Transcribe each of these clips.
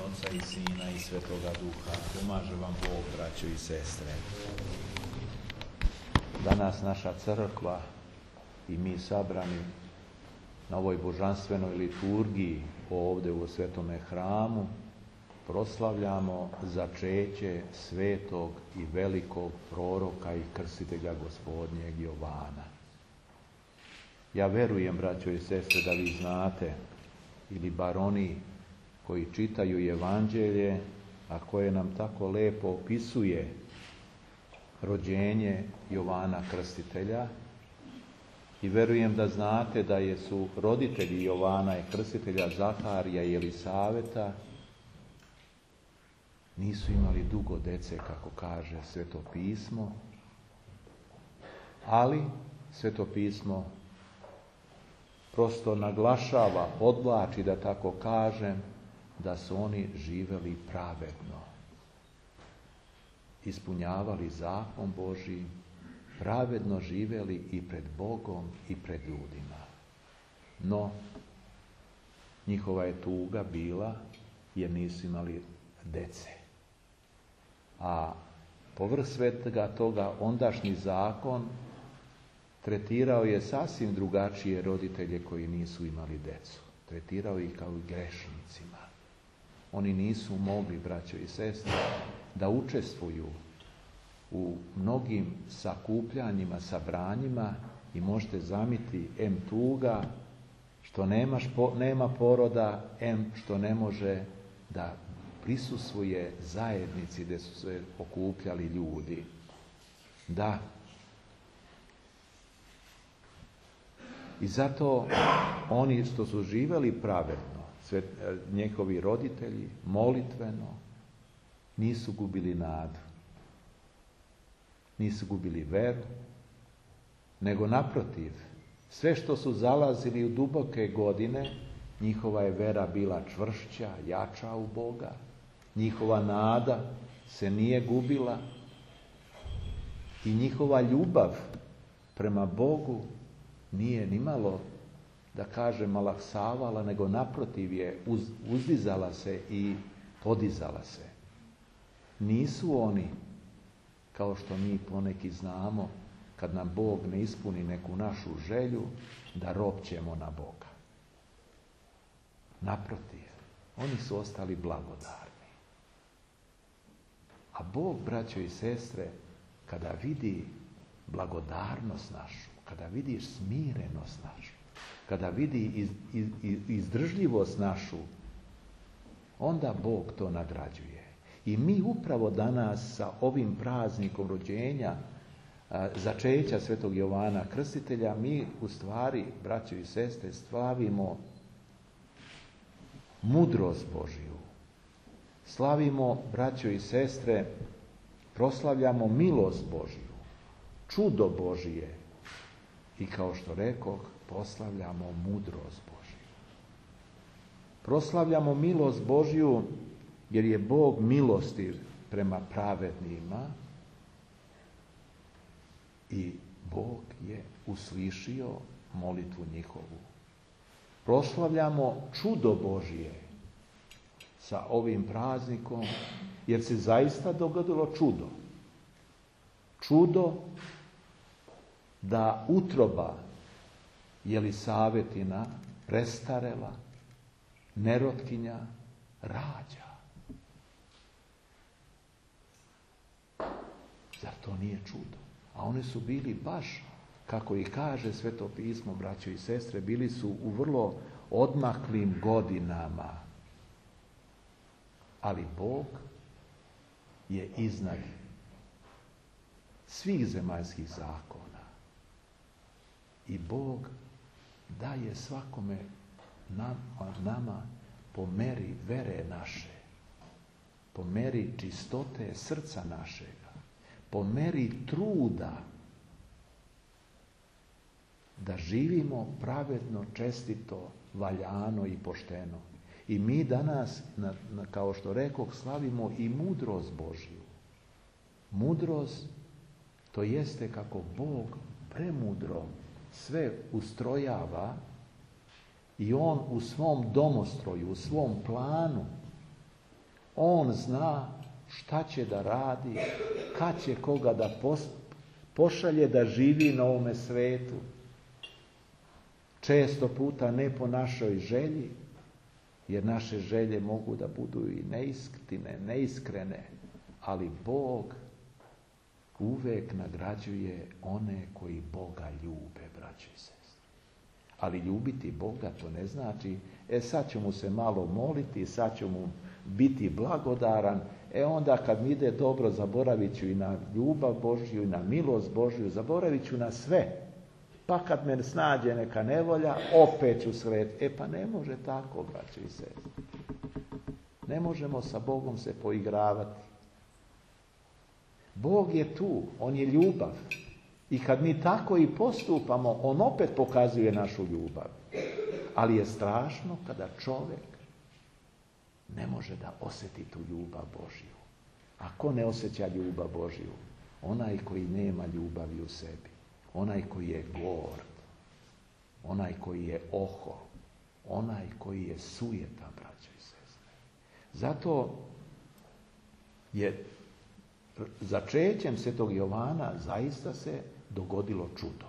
Oca i Sina i Svetoga Duha. Pomaže vam Bog, braćo i sestre. Danas naša crkva i mi sabrani na ovoj božanstvenoj liturgiji ovdje u Svetome hramu proslavljamo začeće svetog i velikog proroka i krstitelja Gospodnjeg Jovana. Ja verujem, braćo i sestre, da vi znate, ili bar oni koji čitaju Evanđelje, a koje nam tako lepo opisuje rođenje Jovana Krstitelja, i verujem da znate da su roditelji Jovana i Krstitelja, Zaharija i Elisaveta, nisu imali dugo dece, kako kaže Sveto pismo, ali Sveto pismo prosto naglašava, podvlači, da tako kažem, da su oni živeli pravedno, ispunjavali zakon Božji, pravedno živeli i pred Bogom i pred ljudima. No, njihova je tuga bila jer nisu imali dece. A povrh svega toga ondašnji zakon tretirao je sasvim drugačije roditelje koji nisu imali decu. Tretirao ih kao i grešnicima. Oni nisu mogli, braćo i sestre, da učestvuju u mnogim sakupljanjima, sabranjima, i možete zamisliti em tuga što nema poroda, em što ne može da prisustvuje zajednici gdje su se okupljali ljudi. Da. I zato oni što su živjeli pravedno, njihovi roditelji, molitveno, nisu gubili nadu. Nisu gubili veru, nego naprotiv, sve što su zalazili u duboke godine, njihova je vera bila čvršća, jača u Boga, njihova nada se nije gubila i njihova ljubav prema Bogu nije nimalo, da kažem, malaksavala, nego naprotiv je uzdizala se i podizala se. Nisu oni, kao što mi poneki znamo, kad nam Bog ne ispuni neku našu želju, da ropćemo na Boga. Naprotiv, oni su ostali blagodarni. A Bog, braćo i sestre, kada vidi blagodarnost našu, kada vidi smirenost našu, kada vidi izdržljivost našu, onda Bog to nagrađuje. I mi upravo danas sa ovim praznikom rođenja, začeća Svetog Jovana Krstitelja, mi u stvari, braćo i sestre, slavimo mudrost Božju. Slavimo, braćo i sestre, proslavljamo milost Božju, čudo Božije i, kao što rekoh, proslavljamo mudrost Božju. Proslavljamo milost Božju jer je Bog milostiv prema pravednima i Bog je uslišio molitvu njihovu. Proslavljamo čudo Božje sa ovim praznikom, jer se zaista dogodilo čudo. Čudo da utroba Jelisavetina, prestarela, nerotkinja, rađa. Zar to nije čudo? A oni su bili baš, kako i kaže Sveto pismo, braćo i sestre, bili su u vrlo odmaklim godinama. Ali Bog je iznad svih zemaljskih zakona. I Bog daje svakome nama po meri vere naše, po meri čistote srca našega, po meri truda da živimo pravedno, čestito, valjano i pošteno. I mi danas, kao što rekoh, slavimo i mudrost Božju. Mudrost, to jeste kako Bog premudro sve ustrojava i On u svom domostroju, u svom planu On zna šta će da radi, kad će koga da pošalje da živi na ovome svetu. Često puta ne po našoj želji, jer naše želje mogu da budu i neiskrene, ali Bog uvek nagrađuje one koji Boga ljube, braćo i sestre. Ali ljubiti Boga to ne znači, sad ću mu se malo moliti, sad ću mu biti blagodaran, onda kad mi ide dobro zaboravit ću i na ljubav Božju i na milost Božju, zaboravit ću na sve. Pa kad me snađe neka nevolja, opet ću sretiti. Pa ne može tako, braćo i sestre. Ne možemo sa Bogom se poigravati. Bog je tu, on je ljubav. I kad mi tako i postupamo, on opet pokazuje našu ljubav. Ali je strašno kada čovjek ne može da osjeti tu ljubav Božju. A ko ne osjeća ljubav Božju? Onaj koji nema ljubavi u sebi. Onaj koji je gord. Onaj koji je ohol. Onaj koji je sujetan, braćo i sestre. Zato je začećem Svetog Jovana zaista se dogodilo čudo.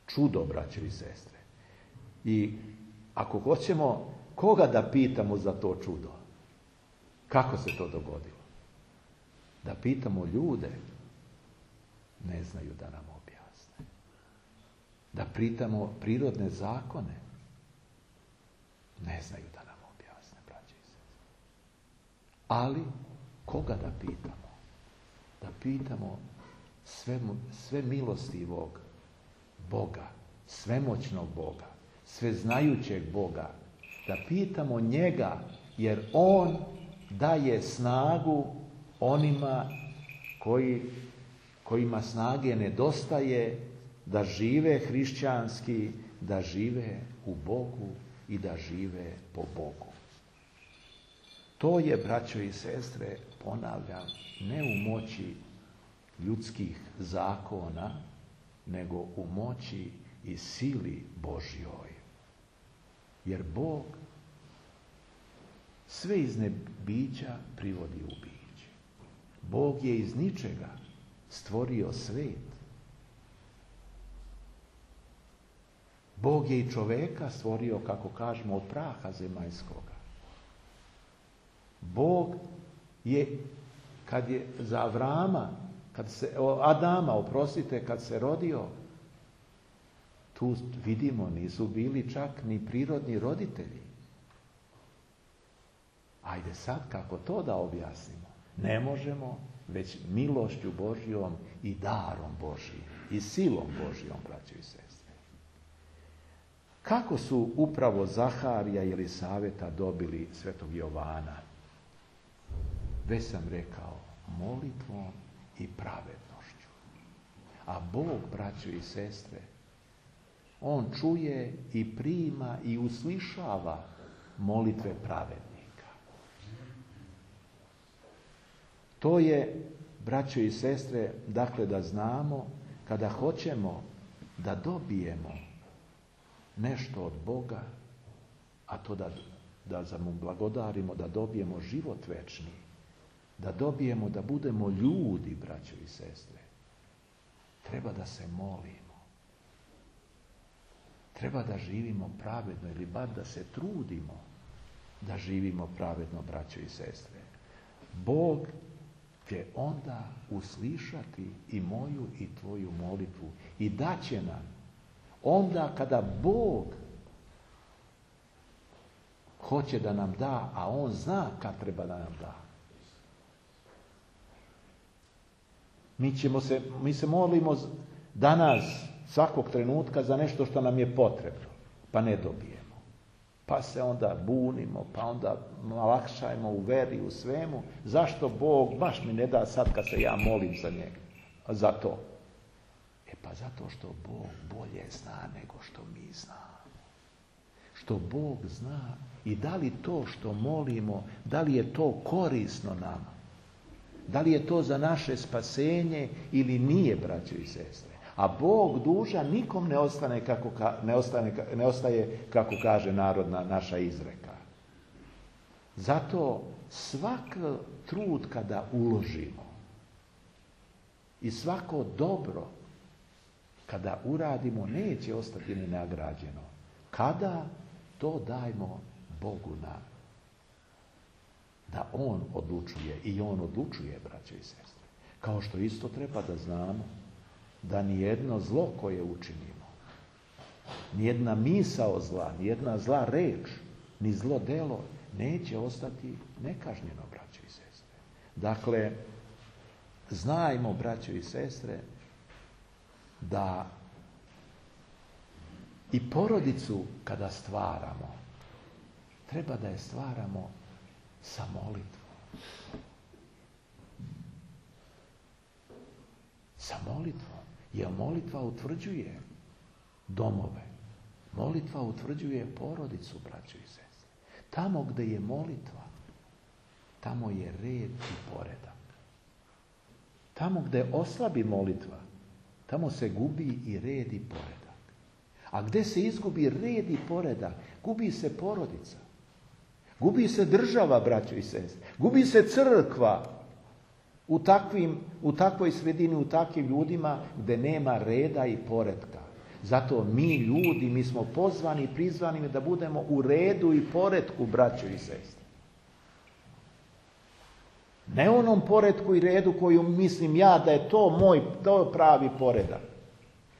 Čudo, braćo i sestre. I ako hoćemo koga da pitamo za to čudo, kako se to dogodilo? Da pitamo ljude, ne znaju da nam objasne. Da pitamo prirodne zakone, ne znaju da nam objasne, braćo i sestre. Ali koga da pitamo? Da pitamo sve milostivog Boga, svemoćnog Boga, sveznajućeg Boga, da pitamo njega, jer on daje snagu onima kojima snage nedostaje da žive hrišćanski, da žive u Bogu i da žive po Bogu. To je, braćo i sestre, ponavljam, ne u moći ljudskih zakona, nego u moći i sili Božjoj. Jer Bog sve iz nebića privodi u biće. Bog je iz ničega stvorio svet. Bog je i čoveka stvorio, kako kažemo, od praha zemaljskoga. Bog je, kad je za Adama, kad se rodio, tu vidimo, nisu bili čak ni prirodni roditelji. Ajde sad, kako to da objasnimo? Ne možemo, već milošću Božjom i darom Božjim i silom Božjom, braćo i sestre. Kako su upravo Zaharija i Elisaveta dobili Svetog Jovana? Već sam rekao, molitvom i pravednošću. A Bog, braćo i sestre, on čuje i prima i uslišava molitve pravednika. To je, braćo i sestre, dakle da znamo, kada hoćemo da dobijemo nešto od Boga, a to da mu blagodarimo, da dobijemo život večni, da dobijemo, da budemo ljudi, braćo i sestre, treba da se molimo. Treba da živimo pravedno ili bar da se trudimo da živimo pravedno, braćo i sestre. Bog će onda uslišati i moju i tvoju molitvu i daće nam onda kada Bog hoće da nam da, a on zna kad treba da nam da. Mi se molimo danas, svakog trenutka, za nešto što nam je potrebno, pa ne dobijemo. Pa se onda bunimo, pa onda lakšajmo u veri, u svemu. Zašto Bog baš mi ne da sad kad se ja molim za njega? Za to. Pa zato što Bog bolje zna nego što mi znamo. Što Bog zna i da li to što molimo, da li je to korisno nama? Da li je to za naše spasenje ili nije, braćo i sestre? A Bog dužan nikom ne ostaje, kako kaže narodna naša izreka. Zato svak trud kada uložimo i svako dobro kada uradimo neće ostati nenagrađeno. Kada to dajmo Bogu da On odlučuje i On odlučuje, braće i sestre. Kao što isto treba da znamo da nijedno zlo koje učinimo, nijedna misao zla, nijedna zla reč, ni zlo delo neće ostati nekažnjeno, braćo i sestre. Dakle, znajmo, braćo i sestre, da i porodicu kada stvaramo, treba da je stvaramo sa molitvom. Sa molitvom. Jer molitva utvrđuje domove. Molitva utvrđuje porodicu, braćo i sestre. Tamo gde je molitva, tamo je red i poredak. Tamo gde oslabi molitva, tamo se gubi i red i poredak. A gde se izgubi red i poredak, gubi se porodica. Gubi se država, braćo i sestre. Gubi se crkva u takvoj sredini, u takvim ljudima gde nema reda i poretka. Zato mi smo pozvani i prizvani da budemo u redu i poretku, braćo i sestre. Ne onom poretku i redu koju mislim ja da je to pravi poredak.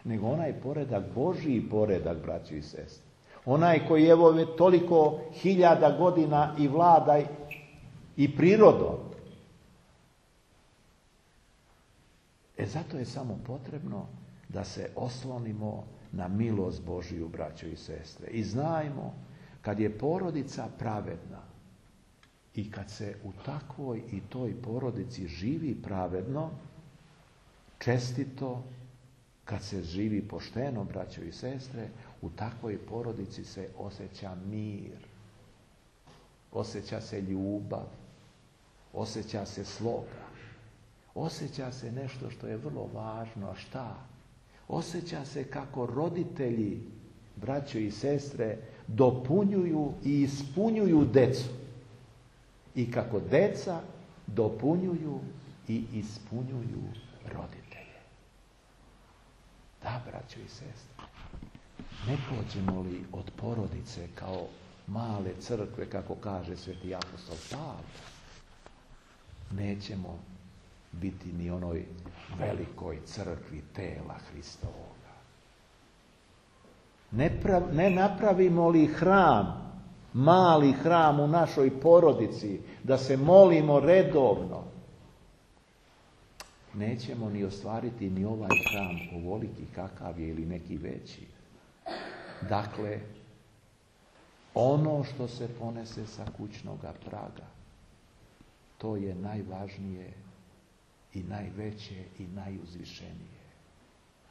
Nego onaj poredak, Božji poredak, braćo i sestre. Onaj koji evo toliko hiljada godina i vlada i prirodom. Zato je samo potrebno da se oslonimo na milost Božiju, braćo i sestre. I znajmo, kad je porodica pravedna i kad se u takvoj i toj porodici živi pravedno, čestito, kad se živi pošteno, braćo i sestre, u takvoj porodici se osjeća mir, osjeća se ljubav, osjeća se sloga, osjeća se nešto što je vrlo važno. A šta? Osjeća se kako roditelji, braćo i sestre, dopunjuju i ispunjuju decu. I kako deca dopunjuju i ispunjuju roditelje. Da, braćo i sestre, ne pođemo li od porodice kao male crkve, kako kaže sveti apostol Pavle, nećemo biti ni onoj velikoj crkvi tela Hristovoga. Ne napravimo li hram, mali hram u našoj porodici, da se molimo redovno, nećemo ni ostvariti ni ovaj hram ovoliki kakav je ili neki veći. Dakle, ono što se ponese sa kućnoga praga, to je najvažnije i najveće i najuzvišenije.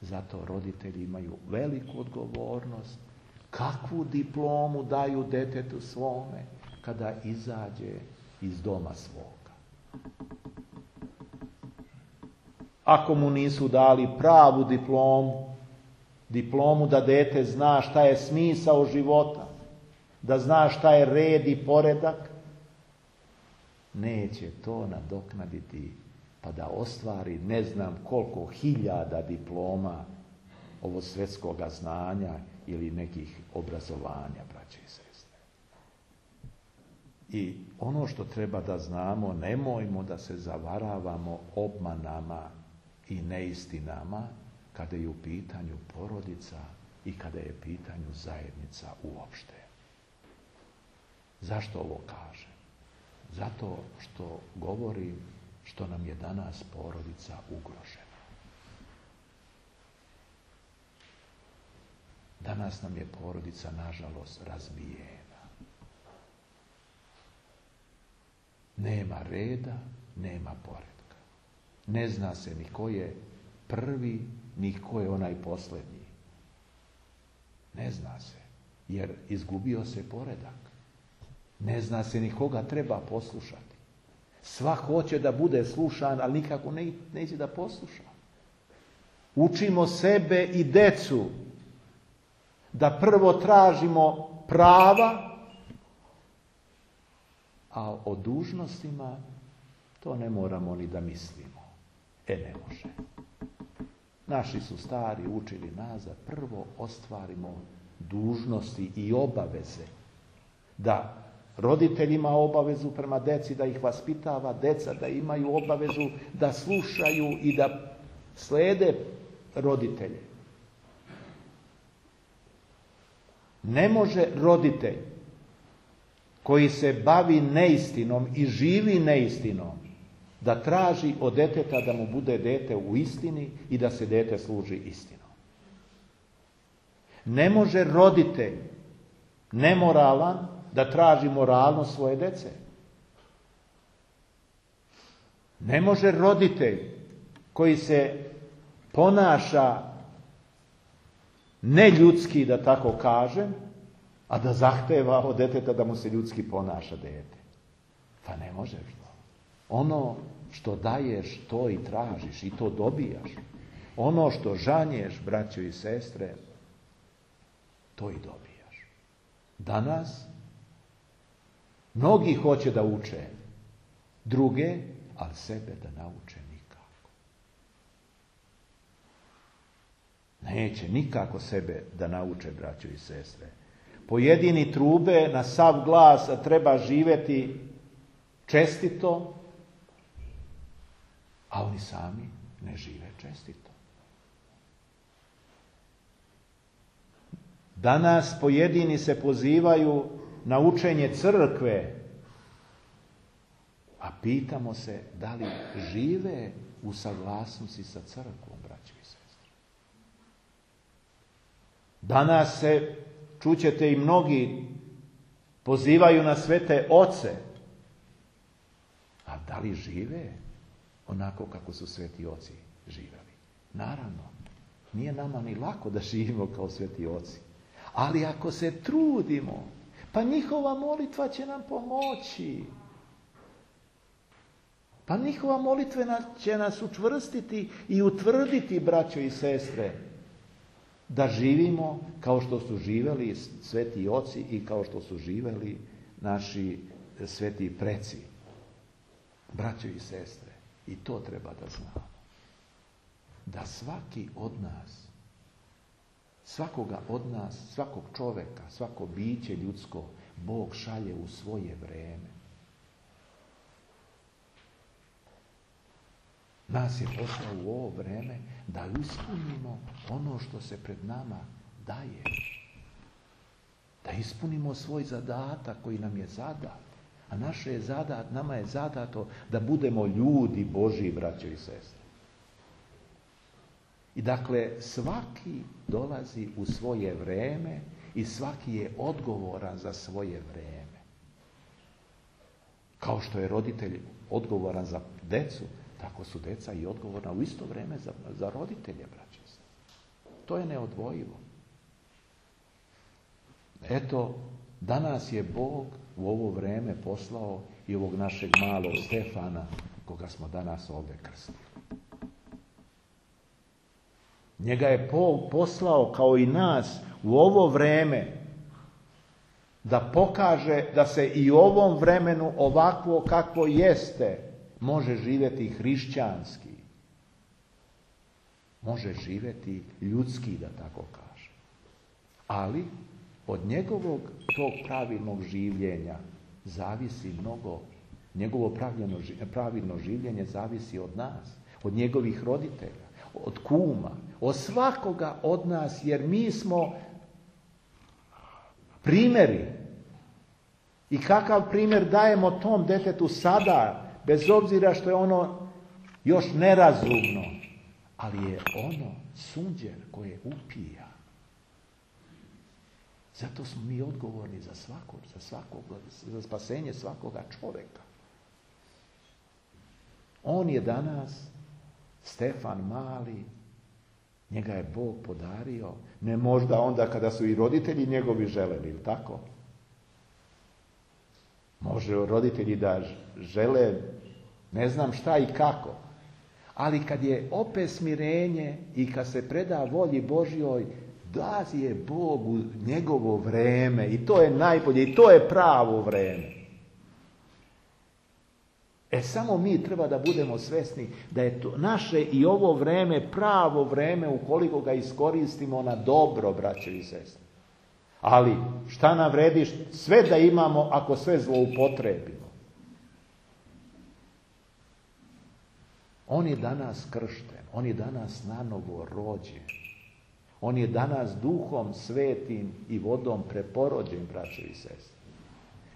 Zato roditelji imaju veliku odgovornost kakvu diplomu daju detetu svome kada izađe iz doma svoga. Ako mu nisu dali pravu diplomu da dete zna šta je smisao života, da zna šta je red i poredak, neće to nadoknaditi pa da ostvari ne znam koliko hiljada diploma ovo svjetskoga znanja ili nekih obrazovanja, braće i sestre. I ono što treba da znamo, nemojmo da se zavaravamo obmanama i neistinama kada je u pitanju porodica i kada je u pitanju zajednica uopšte. Zašto ovo kažem? Zato što govorim što nam je danas porodica ugrožena. Danas nam je porodica, nažalost, razbijena. Nema reda, nema poretka. Ne zna se ni ko je prvi, ni ko je onaj posljednji. Ne zna se, jer izgubio se poredak. Ne zna se ni koga treba poslušati. Svak hoće da bude slušan, ali nikako neće da posluša. Učimo sebe i decu da prvo tražimo prava, A o dužnostima to ne moramo ni da mislimo. Ne može. Naši su stari učili nas da prvo ostvarimo dužnosti i obaveze. Da roditelj ima obavezu prema deci da ih vaspitava, deca da imaju obavezu da slušaju i da slijede roditelje. Ne može roditelj koji se bavi neistinom i živi neistinom da traži od deteta da mu bude dete u istini i da se dete služi istinom. Ne može roditelj nemoralan da traži moralnost svoje dece. Ne može roditelj koji se ponaša neljudski, da tako kažem, a da zahteva od deteta da mu se ljudski ponaša dete. Pa ne može to. Ono što daješ, to i tražiš i to dobijaš. Ono što žanješ, braćo i sestre, to i dobijaš. Danas mnogi hoće da uče druge, ali sebe da nauče nikako. Neće nikako sebe da nauče, braćo i sestre. Pojedini trube na sav glas, a treba živjeti čestito, a oni sami ne žive čestito. Danas pojedini se pozivaju na učenje crkve, a pitamo se da li žive u saglasnosti sa crkvom, braćo i sestre. Danas se, čućete i mnogi, pozivaju na svete oce, a da li žive onako kako su sveti oci živjeli? Naravno, nije nama ni lako da živimo kao sveti oci. Ali ako se trudimo, pa njihova molitva će nam pomoći. Pa njihova molitva će nas učvrstiti i utvrditi, braćo i sestre, da živimo kao što su živjeli sveti oci i kao što su živjeli naši sveti preci. Braćo i sestre, i to treba da znamo. Da svaki od nas, svakoga od nas, svakog čoveka, svako biće ljudsko, Bog šalje u svoje vreme. Nas je poslao u ovo vreme da ispunimo ono što se pred nama daje. Da ispunimo svoj zadatak koji nam je zadat. A nama je zadato da budemo ljudi Božji, braćo i sestre. I dakle, svaki dolazi u svoje vreme i svaki je odgovoran za svoje vreme. Kao što je roditelj odgovoran za decu, tako su deca i odgovorna u isto vrijeme za roditelje, braćo i sestre. To je neodvojivo. Eto, danas je Bog u ovo vrijeme poslao i ovog našeg malog Stefana, koga smo danas ovdje krstili. Njega je poslao kao i nas u ovo vrijeme da pokaže da se i u ovom vremenu ovakvo kakvo jeste može živjeti hrišćanski. Može živjeti ljudski, da tako kaže. Ali od njegovog tog pravilnog življenja zavisi mnogo. Njegovo pravilno življenje zavisi od nas, od njegovih roditelja, od kuma, od svakoga od nas, jer mi smo primjeri. I kakav primjer dajemo tom detetu sada, bez obzira što je ono još nerazumno, ali je ono sunđer koje upija. Zato smo mi odgovorni za za spasenje svakoga čovjeka. On je danas, Stefan mali, njega je Bog podario, ne možda onda kada su i roditelji njegovi želeli, ili tako? Može roditelji da žele ne znam šta i kako, ali kad je opet smirenje i kad se preda volji Božjoj, da je Bog u njegovo vreme i to je najbolje i to je pravo vreme. Samo mi treba da budemo svjesni da je to naše i ovo vreme pravo vreme ukoliko ga iskoristimo na dobro, braće i sestre. Ali šta nam vredi sve da imamo ako sve zloupotrebimo? On je danas kršten, on je danas nanovo rođen. On je danas Duhom Svetim i vodom preporođen, braće i sestre.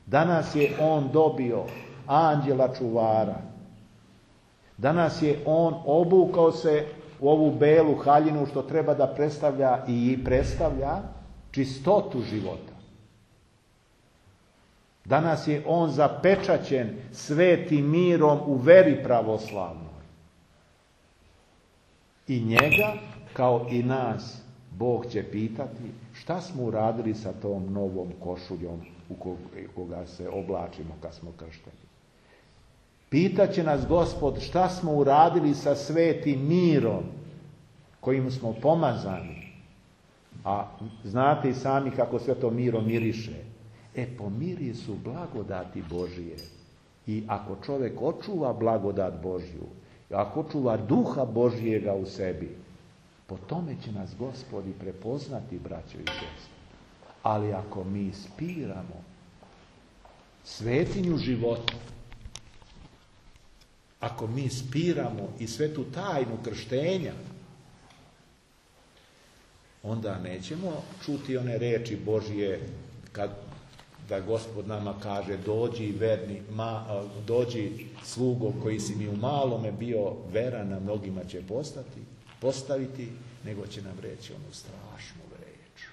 Danas je on dobio anđela čuvara. Danas je on obukao se u ovu belu haljinu što treba da predstavlja i predstavlja čistotu života. Danas je on zapečaćen svetim mirom u veri pravoslavnoj. I njega, kao i nas, Bog će pitati šta smo uradili sa tom novom košuljom u koga se oblačimo kad smo kršteni. Pitaće nas Gospod šta smo uradili sa svetim mirom kojim smo pomazani. A znate i sami kako sve to miro miriše. Po mirisu blagodati Božije. I ako čovjek očuva blagodat Božju, ako očuva duha Božjega u sebi, po tome će nas Gospod i prepoznati, braćo i sestre. Ali ako mi spiramo svetinju života, ako mi spiramo i svetu tajnu krštenja, onda nećemo čuti one reči Božje da Gospod nama kaže dođi verni, dođi slugo koji si mi u malome bio veran, na mnogima će postaviti, nego će nam reći onu strašnu reč.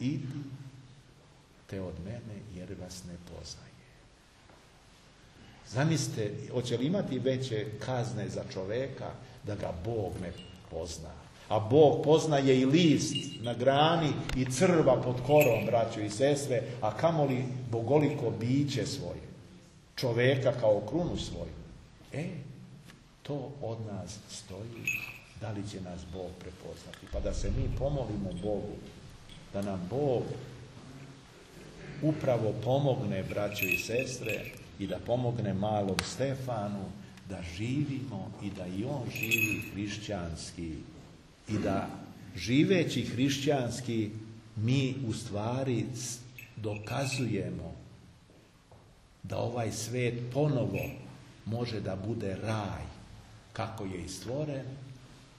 Idite od mene jer vas ne poznaje. Zamislite, hoće li imati veće kazne za čoveka da ga Bog ne pozna? A Bog poznaje i list na grani i crva pod korom, braćo i sestre, a kamoli bogoliko biće svoje. Čoveka kao krunu svoju. To od nas stoji. Da li će nas Bog prepoznati? Pa da se mi pomolimo Bogu, da nam Bog upravo pomogne, braćo i sestre, i da pomogne malom Stefanu da živimo i da i on živi hrišćanski. I da živeći hrišćanski mi u stvari dokazujemo da ovaj svet ponovo može da bude raj kako je i stvoren,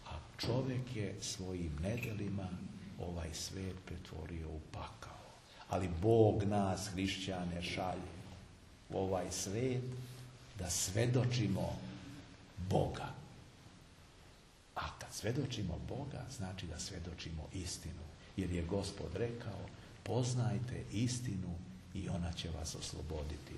a čovjek je svojim nedelima ovaj svet pretvorio u pakao. Ali Bog nas, hrišćane, šalje u ovaj svet da svedočimo Boga. A kad svedočimo Boga, znači da svedočimo istinu. Jer je Gospod rekao, poznajte istinu i ona će vas osloboditi.